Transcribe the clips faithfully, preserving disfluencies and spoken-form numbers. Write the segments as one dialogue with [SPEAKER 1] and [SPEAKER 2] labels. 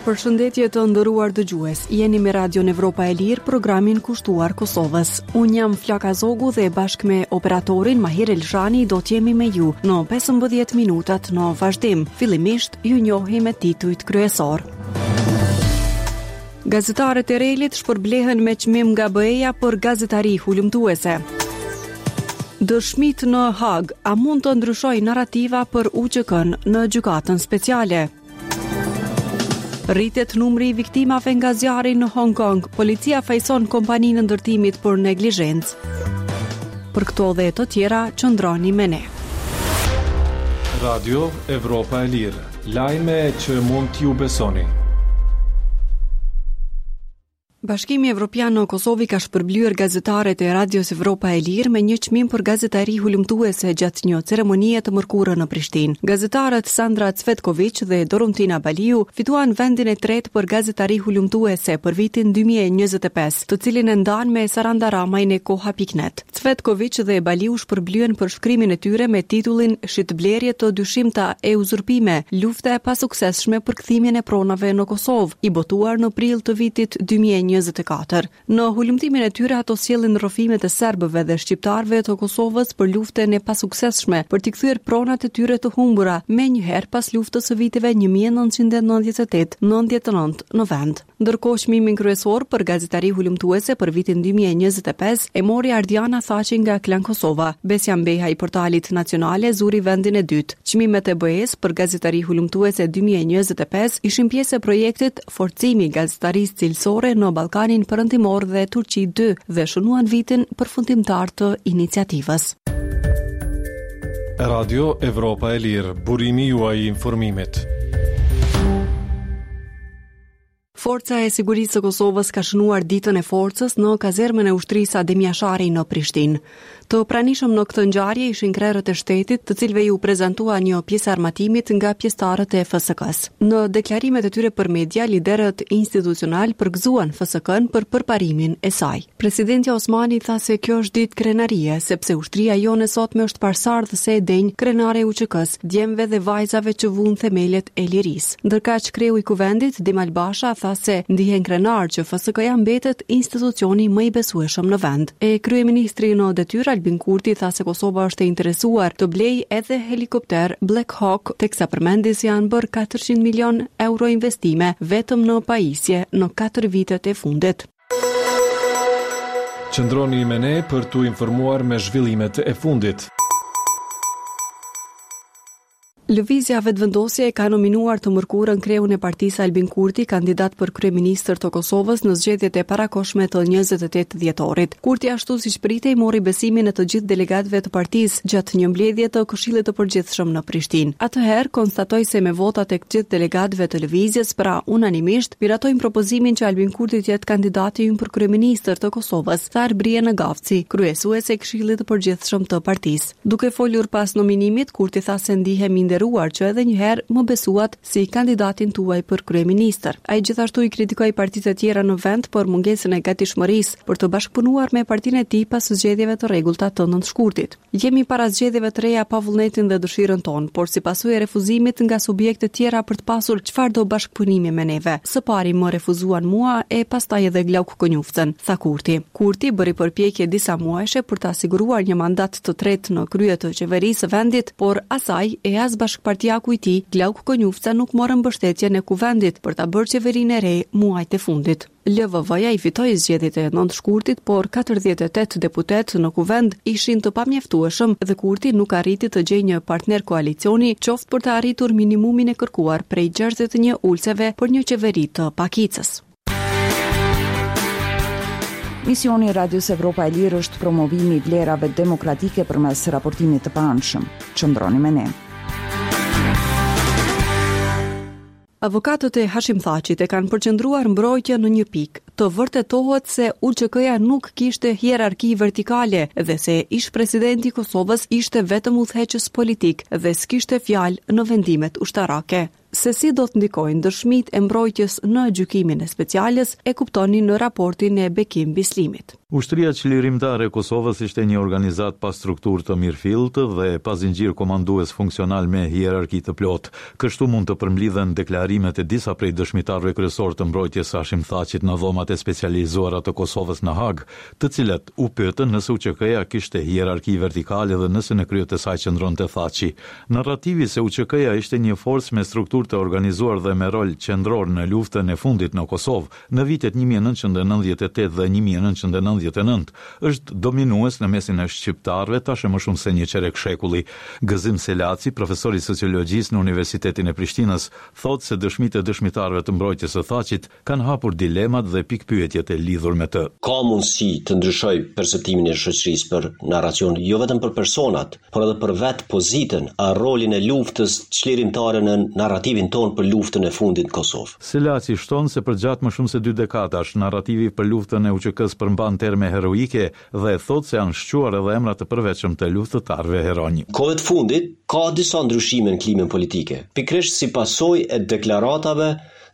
[SPEAKER 1] Përshëndetje të nderuar dëgjues, jeni me Radion Evropa e Lirë, programin kushtuar Kosovës. Unë jam Flaka Zogu dhe bashkë me operatorin Mahir Elshani do t'jemi me ju në pesëmbëdhjetë minutat në vazhdim. Fillimisht ju njohim me titujt kryesor. Gazetarët e REL-it shpërblehen me çmim nga B E-ja për gazetari hulumtuese. Dëshmit në Hag, a mund të ndryshojë narrativa për U Ç K-n në gjykatën speciale? Rritet numri i viktimave nga zjarri në Hong Kong. Policia fajson kompaninë e ndërtimit për neglizhencë. Për këto dhe të tjera, qëndroni me ne.
[SPEAKER 2] Radio Evropa e Lirë. Lajme që mund t'ju besoni.
[SPEAKER 1] Bashkimi Evropian në Kosovë ka shpërblyer gazetarët e Radios Evropa e Lirë me një çmim për gazetari hulumtuese gjatë një ceremonie të mërkurën në Prishtinë. Gazetarët Sandra Cvetković dhe Doruntina Baliu fituan vendin e tretë për gazetari hulumtuese për vitin dy mijë e njëzet e pesë, të cilin e ndan me Saranda Ramajn e Koha pikë net. Cvetković dhe Baliu shpërblyen për shkrimin e tyre me titullin "Shitblerje të dyshimta e uzurpime, lufta e pasuksesshme për kthimin e pronave në Kosovë", i botuar në prill të vitit dy mijë e njëzet e katër. Në hulumtimin e tyre ato sjellin rrëfimet e serbëve dhe shqiptarëve të Kosovës për luftën e pasuksesshme për t'i kthyer pronat e tyre të humbura menjëherë pas luftës së viteve një mijë e nëntëqind e nëntëdhjetë e tetë nëntëdhjetë e nëntë në vend. Ndërkohë, çmimin kryesor për gazetari hulumtuese për vitin dy mijë e njëzet e pesë e mori Ardiana Thaçi nga Klan Kosova. Besja Mbeha i portalit Nacionale zuri vendin e dytë. Çmimet e B E-s për gazetari hulumtuese dy mijë e njëzet e pesë ishin pjesë e projektit Forcimi i gazetarisë cilësore në Ballkanin Perëndimor dhe Turqi dy dhe shënuan vitin përfundimtar të iniciativës.
[SPEAKER 2] Radio Evropa e Lirë, burimi juaj i informimit.
[SPEAKER 1] Forca e Sigurisë së Kosovës ka shënuar ditën e forcës në kazermën e ushtrisë Adem Jashari në Prishtinë. Të pranishëm në këtë ngjarje ishin krerët e shtetit, të cilëve iu prezantua një pjesë armatimit nga pjesëtarët e F S K-s. Në deklarimet e tyre për media, liderët institucional përgëzuan F S K-n për përparimin e saj. Presidentja Osmani tha se kjo është ditë krenarie, sepse ushtria jonë e sotme është pasardhëse e denjë krenare e U Ç K-s, djemve dhe vajzave që vunë themelet e lirisë. Ndërkaq, kreu i kuvendit, Dimal Basha, tha se ndihen krenar që F S K-ja mbetet institucioni më i besueshëm në vend. E kryeministri në detyrë Albin Kurti tha se Kosova është e interesuar të blej edhe helikopter Black Hawk, teksa përmendi se janë bërë katërqind milion euro investime vetëm në pajisje në katër vitet e fundit.
[SPEAKER 2] Qëndroni me ne për t'u informuar me zhvillimet e fundit.
[SPEAKER 1] Lëvizja Vetëvendosje e ka nominuar të mërkurën kreun e partisë Albin Kurti kandidat për kryeministër të Kosovës në zgjedhjet e parakohshme të njëzet e tetë dhjetorit. Kurti, ashtu siç pritej, mori besimin e të gjithë delegatëve të partisë gjatë një mbledhje të Këshillit të Përgjithshëm në Prishtinë. Atëherë konstatoi se me votat e të gjithë delegatëve të lëvizjes, pra unanimisht, miratojnë propozimin që Albin Kurti të jetë kandidati ynë për kryeministër të Kosovës, tha Arbërie Nagavci, kryesuese e Këshillit të Përgjithshëm të partisë. Duke folur pas nominimit, Kurti tha se ndihem i nderuar që edhe një herë më besuat si kandidatin tuaj për kryeministër. Ai gjithashtu i kritikoi partitë e tjera në vend për mungesën e gatishmërisë për të bashkëpunuar me partinë e tij pas zgjedhjeve të rregullta të nëntë shkurtit. "Jemi para zgjedhjeve të reja pa vullnetin dhe dëshirën tonë, por si pasojë e refuzimit nga subjekte tjera për të pasur çfarëdo bashkëpunimi me neve. Së pari më refuzuan mua e pastaj edhe Glauk Konjufcën", tha Kurti. Kurti bëri përpjekje disa muajshe për ta siguruar një mandat të tretë në krye të qeverisë së vendit, por asaj e as bashkëpartiaku i tij, Glauk Konjufca, nuk morën mbështetjen e kuvendit për ta bërë qeverinë e re muajt e fundit. L V V-ja i fitoi zgjedhjet e nëntë shkurtit, por katërdhjetë e tetë deputetë në kuvend ishin të pamjaftueshëm dhe Kurti nuk arriti të gjejë një partner koalicioni, qoftë për të arritur minimumin e kërkuar prej gjashtëdhjetë e një ulëseve për një qeveri të pakicës.
[SPEAKER 3] Misioni i Radios Evropa e Lirë është promovimi i vlerave demokratike përmes raportimit të paanshëm. Qëndroni me ne.
[SPEAKER 1] Avokatët e Hashim Thaçit e kanë përqendruar mbrojtjen në një pikë, të vërtetohet se U Ç K-ja nuk kishte hierarki vertikale dhe se ish presidenti i Kosovës ishte vetëm udhëheqës politik dhe s'kishte fjalë në vendimet ushtarake. Se si do të ndikojnë dëshmitë e mbrojtjes në gjykimin e Speciales, e kuptoni në raportin e Bekim Bislimit.
[SPEAKER 4] Ushtria Çlirimtare e Kosovës ishte një organizatë pa strukturë të mirëfilltë dhe pa zinxhir komandues funksional me hierarki të plotë. Kështu mund të përmblidhen deklarimet e disa prej dëshmitarëve kryesor të mbrojtjes së Hashim Thaçit në dhomat e specializuara të Kosovës në Hagë, të cilët u pyetën nëse U Ç K-ja kishte hierarki vertikale dhe nëse në krye të saj qëndronte Thaçi. Narrativi se U Ç K-ja ishte një forcë me strukturë të organizuar dhe me rol qendror në luftën e fundit në Kosovë në vitet një mijë e nëntëqind e nëntëdhjetë e tetë dhe një mijë e nëntëqind e nëntëdhjetë e nëntë është dominues në mesin e shqiptarëve tash e më shumë se një çerek shekulli. Gëzim Selaci, profesor i sociologjisë në Universitetin e Prishtinës, thotë se dëshmitë e dëshmitarëve të mbrojtjes së Thaçit kanë hapur dilemat dhe pikpyetjet e lidhur me të.
[SPEAKER 5] Ka mundësi të ndryshoj perceptimin e shoqërisë për narracion, jo vetëm për personat, por edhe për vetë pozitën, a rolin e luftës çlirimtare në narrativin tonë për luftën e fundit në Kosovë.
[SPEAKER 4] Selaci shton se përgjatë më shumë se dy dekadash, narrativi për luftën e U Ç K-s përmban terme heroike dhe thotë se janë shquar edhe emra të përveçëm të luftëtarëve heronj.
[SPEAKER 5] Kohët fundit ka disa ndryshime në klimën politike, pikërisht si pasojë e deklaratave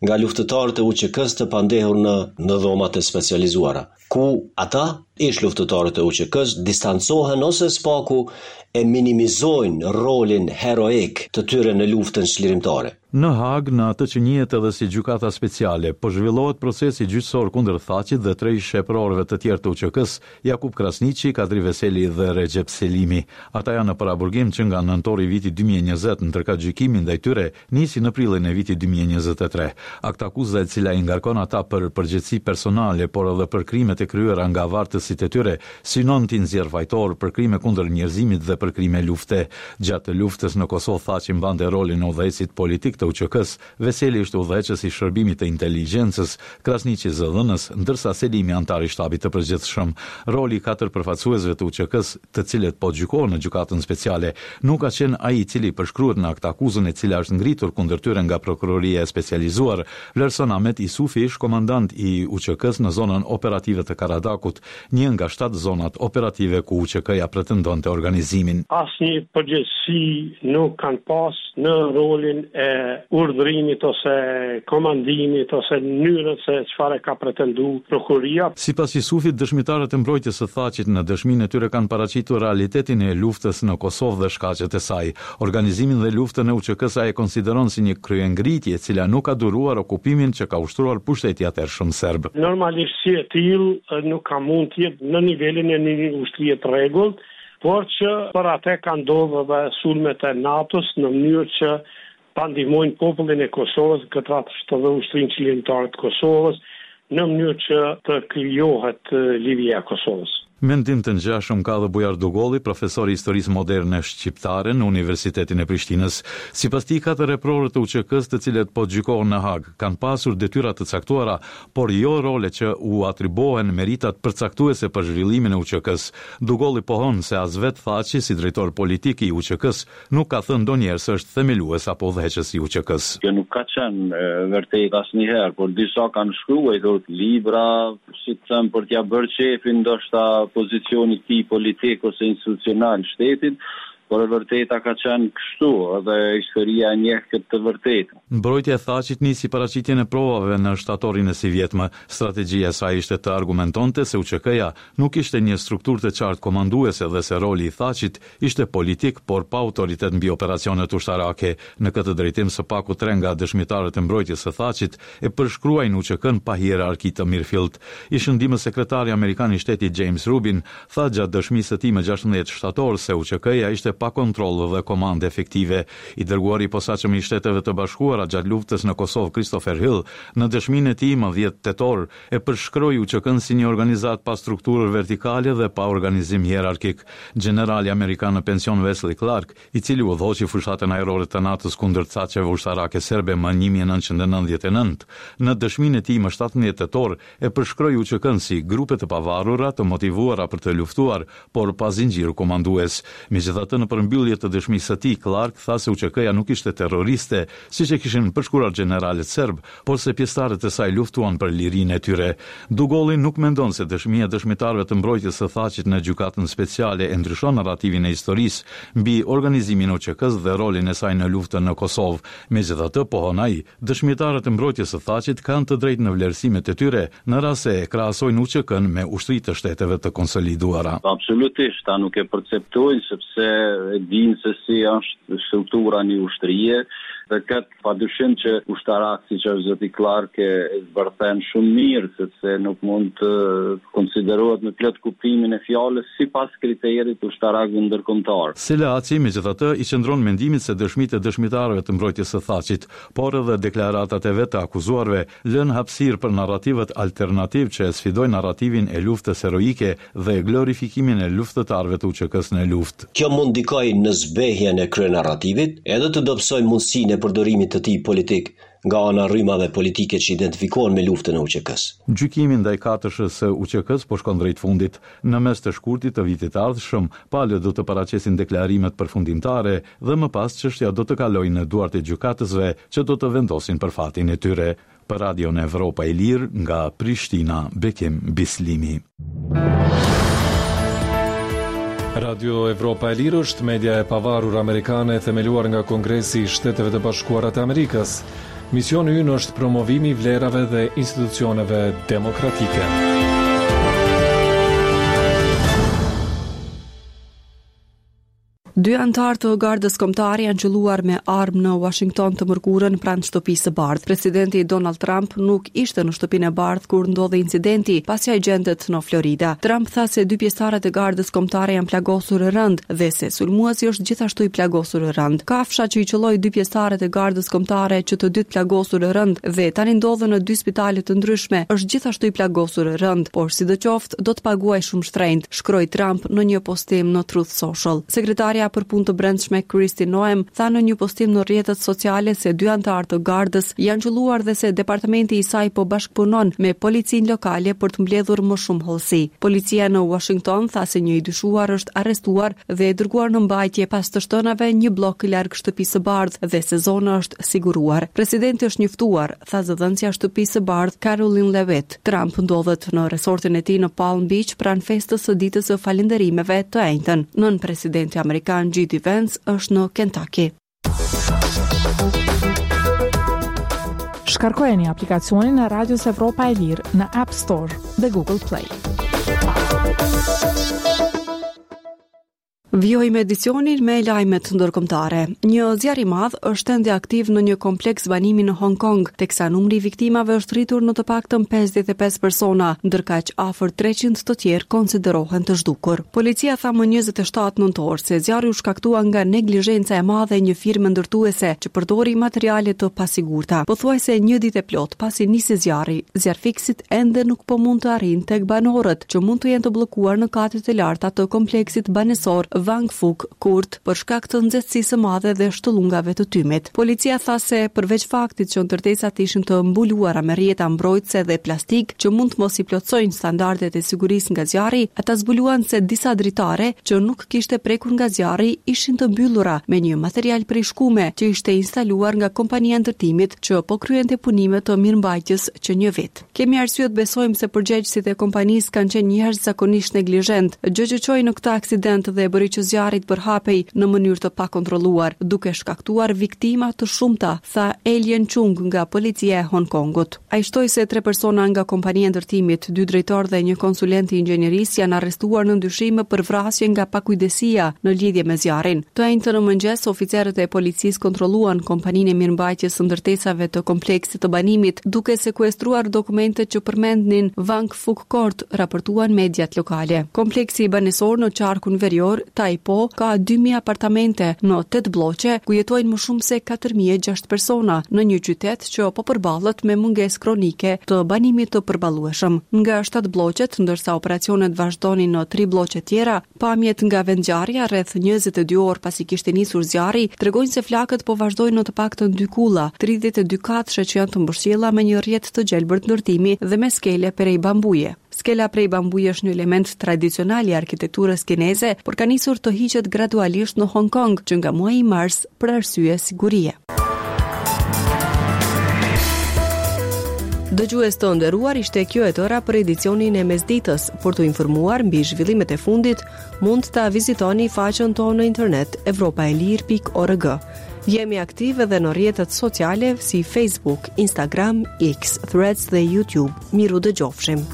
[SPEAKER 5] nga luftëtarët e U Ç K-s të pandehur në në dhomat e specializuara, ku ata, ish luftëtarët e U Ç K-s, distancohen ose spaku e minimizojnë rolin heroik të tyre në luftën çlirimtare.
[SPEAKER 4] Në Hagë, në atë që njihet edhe si gjykata speciale, po zhvillohet procesi gjyqësor kundër Thaçit dhe tre ish-eprorëve të tjerë të U Ç K-s, Jakup Krasniqi, Kadri Veseli dhe Rexhep Selimi. Ata janë në paraburgim që nga nëntori i vitit dy mijë e njëzet, ndërkaq gjykimi ndaj tyre nisi në prillin e vitit dy mijë e njëzet e tre. Aktakuza, e cila i ngarkon ata për përgjegjësi personale, por edhe për krimet e kryera nga vartësit e tyre, synon t'i nxjerr fajtor për krime kundër njerëzimit dhe për krime lufte. Gjatë luftës në Kosovë, Thaçi mbante rolin e udhëheqësit politik të U Ç K-s, Veseli ishte udhëheqës i shërbimit të inteligjencës, Krasniqi zëdhënës, ndërsa Selimi antar i shtabit të përgjithshëm. Roli i katër përfaqësuesve të U Ç K-s, të cilët po gjykohen në gjykatën speciale, nuk ka qenë ai i cili përshkruhet në aktakuzën e cila është ngritur kundër tyre nga prokuroria e specializuar, vlerëson Ahmet Isufi, ish komandant i U Ç K-s në zonën operative të Karadakut, një nga shtatë zonat operative ku U Ç K-ja pretendonte organizimin.
[SPEAKER 6] Asnjë përgjegjësi nuk kanë pas në rolin e urdhrimit ose komandimit ose mënyrën se çfarë ka pretendu prokuroria.
[SPEAKER 4] Sipas Isufit, dëshmitarët e mbrojtjes së Thaçit në dëshminë e tyre kanë paraqitur realitetin e luftës në Kosovë dhe shkaqet e saj. Organizimin dhe luftën e U Ç K-së ai e konsideron si një kryengritje e cila nuk ka duruar okupimin që ka ushtruar pushteti atëhershëm serb.
[SPEAKER 6] Normalisht, si e tillë nuk ka mund të jetë në nivelin e një ushtrie të rregullt, por që për atë ka ndodhur edhe sulmet e NATO-s në mënyrë që ta ndihmojnë popullin e Kosovës, në këtë rast edhe ushtrinë çlirimtare të Kosovës, në mënyrë që të krijohet liria e Kosovës.
[SPEAKER 4] Mendim të ngjashëm ka dhe Bujar Dugolli, profesor i historisë moderne shqiptare në Universitetin e Prishtinës. Sipas tij, katër eprorët të U Ç K-s, të cilët po gjykohen në Hagë, kanë pasur detyra të caktuara, por jo role që u atribuohen meritat përcaktuese për zhvillimin e U Ç K-s. Dugolli pohon se as vet Thaçi, si drejtor politik i U Ç K-s, nuk ka thënë ndonjëherë se është themelues apo udhëheqës i U Ç K-s.
[SPEAKER 7] Kjo nuk ka qenë vërtet asnjëherë, por disa kanë shkruar libra, si të them, për t'ia bërë qefin ndoshta pozicionit tij politik ose institucional shtetit, por e vërteta ka qenë kështu dhe historia e njeh këtë të vërtetë.
[SPEAKER 4] Mbrojtja e Thaçit nisi paraqitjen e provave në shtatorin e sivjetmë. Strategjia e saj ishte të argumentonte se U Ç K-ja nuk ishte një strukturë të qartë komanduese dhe se roli i Thaçit ishte politik, por pa autoritet mbi operacionet ushtarake. Në këtë drejtim, së paku tre nga dëshmitarët e mbrojtjes së Thaçit e përshkruajnë U Ç K-n pa hierarki të mirëfillt. Ish ndihmës sekretari amerikan i shtetit James Rubin tha gjatë dëshmisë së tij më gjashtëmbëdhjetë shtator se U Ç K-ja ishte pa kontroll dhe komandë efektive. I dërguari i posaçëm i Shteteve të Bashkuara gjatë luftës në Kosovë, Christopher Hill, në dëshminë e tij më dhjetë tetor e përshkroi U Ç K-n si një organizatë pa strukturë vertikale dhe pa organizim hierarkik. Generali amerikan në pension Wesley Clark, i cili udhëhoqi fushatën ajrore të NATO-s kundër caqeve ushtarake serbe më një mijë e nëntëqind e nëntëdhjetë e nëntë, në dëshminë e tij më shtatëmbëdhjetë tetor e përshkroi U Ç K-n si grupe të pavarura të motivuara për të luftuar, por pa zinxhir komandues. Megjithatë, në Në përmbyllje të dëshmisë së tij, Clark tha se U Ç K-ja nuk ishte terroriste, siç e kishin përshkruar gjeneralët serb, por se pjesëtarët e saj luftuan për lirinë e tyre. Dugolli nuk mendon se dëshmia e dëshmitarëve të mbrojtjes së Thaçit në gjykatën speciale e ndryshon narrativin e historisë mbi organizimin e U Ç K-s dhe rolin e saj në luftën në Kosovë. Megjithatë, pohon ai, dëshmitarët e mbrojtjes së Thaçit kanë të drejtë në vlerësimet e tyre në rast se e krahasojnë U Ç K-n me ushtritë të shteteve të konsoliduara.
[SPEAKER 7] Absolutisht, ta nuk e perceptojnë, sepse e dinë se si është struktura një ushtrie dhe këtë pa dyshim që ushtarak si që është zoti Clark e zbërthen shumë mirë, sepse nuk mund të konsiderohet me plot kuptimin e fjalës sipas kriterit ushtarakëve ndërkombëtar.
[SPEAKER 4] Selaci, megjithatë, i qëndron mendimit se dëshmitë e dëshmitarëve të mbrojtjes së Thaçit, por edhe deklaratat e vetë të akuzuarve, lënë hapësirë për narrativët alternativ që e sfidojnë narrativin e luftës heroike dhe glorifikimin e luftëtarëve të U Ç K-s në luftë.
[SPEAKER 5] Kjo mund ndikoj në zbehjen e kryenarrativit, edhe të dobësoj mundësinë e përdorimit të tij politik nga ana rrymave politike që identifikohen me luftën e U Ç K-s.
[SPEAKER 4] Gjykimi ndaj katërshës së U Ç K-s po shkon drejt fundit. Në mes të shkurtit të vitit të ardhshëm, palët do të paraqesin deklarimet përfundimtare dhe më pas çështja do të kalojë në duart e gjykatësve që do të vendosin për fatin e tyre. Për Radion Evropa e Lirë nga Prishtina, Bekim Bislimi.
[SPEAKER 2] Radio Evropa e Lirë është media e pavarur amerikane e themeluar nga Kongresi i Shteteve të Bashkuara të Amerikës. Misioni ynë është promovimi i vlerave dhe institucioneve demokratike.
[SPEAKER 1] Dy anëtarë të Gardës Kombëtare janë qëlluar me armë në Washington të mërkurën pranë Shtëpisë së Bardhë. Presidenti Donald Trump nuk ishte në Shtëpinë e Bardhë kur ndodhi incidenti, pasi ai gjendet në Florida. Trump tha se dy pjesëtarët e Gardës Kombëtare janë plagosur rënd dhe se sulmuesi është gjithashtu i plagosur rënd. Kafsha që i qëlloi dy pjesëtarët e Gardës Kombëtare, që të dy të plagosur rënd dhe tani ndodhen në dy spitale të ndryshme, është gjithashtu i plagosur rënd, por sidoqoftë do të paguajë shumë shtrenjtë, shkroi Trump në një postim në Truth Social. Sekretarja për punë të brendshme Kristi Noem tha në një postim në rrjetet sociale se dy anëtarë të gardës janë qëlluar dhe se departamenti i saj po bashkëpunon me policinë lokale për të mbledhur më shumë hollësi. Policia në Washington tha se një i dyshuar është arrestuar dhe e dërguar në mbajtje pas të shtënave një blok larg Shtëpisë së Bardhë dhe se zona është siguruar. Presidenti është njoftuar, tha zëdhënësja e Shtëpisë së Bardhë Karoline Leavitt. Trump ndodhet në resortin e tij në Palm Beach pranë festës së ditës së falënderimeve të enjten. Nën presidenti amerikan J D Vance është në Kentucky.
[SPEAKER 8] Shkarkojeni aplikacionin e Radios Evropa e Lirë në App Store dhe Google Play.
[SPEAKER 1] Vijojmë edicionin me lajmet ndërkombëtare. Një zjarr i madh është ende aktiv në një kompleks banimi në Hong Kong, teksa numri i viktimave është rritur në të paktën pesëdhjetë e pesë persona, ndërkaq afër treqind të tjerë konsiderohen të zhdukur. Policia tha më njëzet e shtatë nëntor se zjarri u shkaktua nga neglizhenca e madhe e një firme ndërtuese që përdori materiale të pasigurta. Pothuajse një ditë e plot pasi nisi zjarri, zjarrfikësit ende nuk po mund të arrijnë tek banorët që mund të jenë të bllokuar në katet e larta të kompleksit banesor Wang Fuk Court për shkak të nxehtësisë së madhe dhe shtëllungave të tymit. Policia tha se përveç faktit që ndërtesat ishin të mbuluara me rrjeta mbrojtëse dhe plastik që mund të mos i plotësojnë standardet e sigurisë nga zjarri, ata zbuluan se disa dritare që nuk kishte prekur nga zjarri ishin të mbyllura me një material prej shkume që ishte instaluar nga kompania e ndërtimit që po kryente punime të mirëmbajtjes që një vit. "Kemi arsye të besojmë se përgjegjësit e kompanisë kanë qenë jashtëzakonisht neglizhent, gjë që çoi në këtë aksident dhe bëri që zjarri të përhapej në mënyrë të pakontrolluar, duke shkaktuar viktima të shumta", tha Alien Chung nga policia e Hong Kongut. Ai shtoi se tre persona nga kompania e ndërtimit, dy drejtorë dhe një konsulent i inxhinierisë, janë arrestuar në dyshime për vrasje nga pakujdesia në lidhje me zjarrin. Të enjten në mëngjes, oficerët e policisë kontrolluan kompaninë e mirëmbajtjes së ndërtesave të kompleksit të banimit, duke sekuestruar dokumentet që përmendnin Wang Fuk Court, raportuan mediat lokale. Kompleksi banesor në qarkun verior, Tai Po, ka dy mijë apartamente në tetë blloqe, ku jetojnë më shumë se katër mijë e gjashtëqind persona në një qytet që po përballet me mungesë kronike të banimit të përballueshëm. Nga shtatë blloqet, ndërsa operacionet vazhdonin në tri blloqe tjera, pamjet nga vendngjarja rreth njëzet e dy orë pasi kishte nisur zjarri, tregojnë se flakët po vazhdojnë në të paktën dy kulla, tridhjetë e dy katëshe që janë të mbështjella me një rrjet të gjelbërt ndërtimi dhe me skele prej bambuje. Skela prej bambuje është një element tradicional i arkitekturës kineze, por ka nisur të hiqet gradualisht në Hong Kong që nga muaji mars për arsye sigurie. Dëgjues të nderuar, ishte kjo e tëra për edicionin e mesditës. Për t'u informuar mbi zhvillimet e fundit, mund ta vizitoni faqen tonë në internet evropaelire pikë org. Jemi aktiv edhe në rrjetet sociale si Facebook, Instagram, X, Threads dhe YouTube. Mirudëgjofshim.